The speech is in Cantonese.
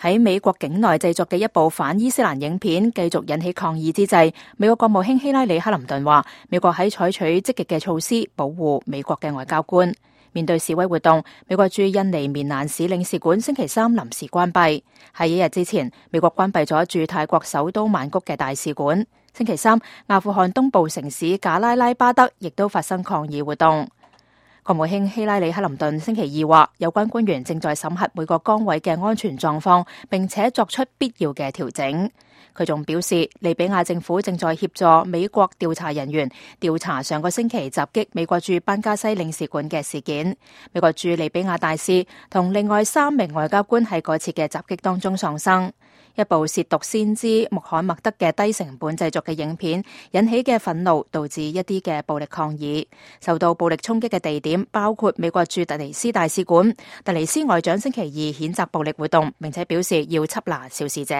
喺美國境內製作嘅一部反伊斯蘭影片繼續引起抗議之際，美國國務卿希拉里·克林頓話，美國喺採取積極嘅措施保護美國嘅外交官。面對示威活動，美國駐印尼棉蘭市領事館星期三臨時關閉。喺一日之前，美國關閉咗駐泰國首都曼谷嘅大使館。星期三，阿富汗東部城市賈拉拉巴德亦都發生抗議活動。國務卿希拉里·克林頓星期二話，有關官員正在審核每個崗位嘅安全狀況，並且作出必要嘅調整。佢仲表示，利比亞政府正在協助美國調查人員調查上個星期襲擊美國駐班加西領事館嘅事件。美國駐利比亞大使同另外3名外交官喺嗰次嘅襲擊當中喪生。一部褻瀆先知穆罕默德嘅低成本製作嘅影片引起嘅憤怒，導致一啲嘅暴力抗議。受到暴力衝擊嘅地點包括美國駐突尼斯大使館。突尼斯外長星期二譴責暴力活動，並且表示要緝拿肇事者。